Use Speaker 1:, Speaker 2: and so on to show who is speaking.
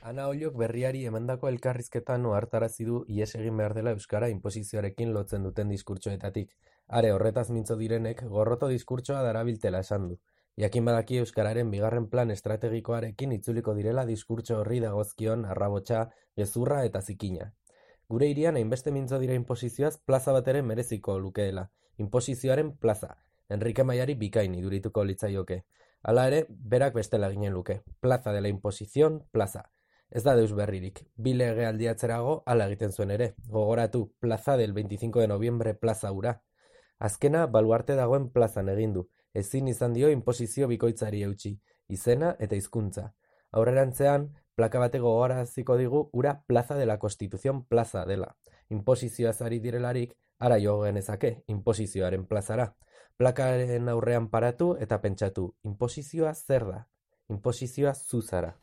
Speaker 1: Ana Ollok berriari emandako elkarrizketan ohartarazi du ihes egin behar dela euskara inposizioarekin lotzen duten diskurtsoetatik. Are horretaz mintzo direnek gorroto diskurtsoa darabiltela esan du. Jakin badaki euskararen bigarren plan estrategikoarekin itzuliko direla diskurtso horri dagozkion arrabotsa, gezurra eta zikina. Gure hirian hainbeste mintzo dira inposizioaz plaza bat ere mereziko lukeela. Inposizioaren plaza. Enrique Maiari bikain idurituko litzaioke. Hala ere, berak bestela ginen luke. Plaza de la Imposición, plaza. Ez da deus berririk. Bi legealdi atzerago hala egiten zuen ere. Gogoratu, plaza del 25 de noviembre plaza hura. Azkena baluarte dagoen plazan egin du. Ezin izan dio inposizio bikoitzari eutsi. Izena eta hizkuntza. Aurrerantzean, plaka batek gogoraraziko digu ura plaza de la Constitución plaza dela. Inposizioaz ari direlarik, ara jo genezake, inposizioaren plazara. Plakaren aurrean paratu eta pentsatu, inposizioa zer da? Inposizioa zu zara.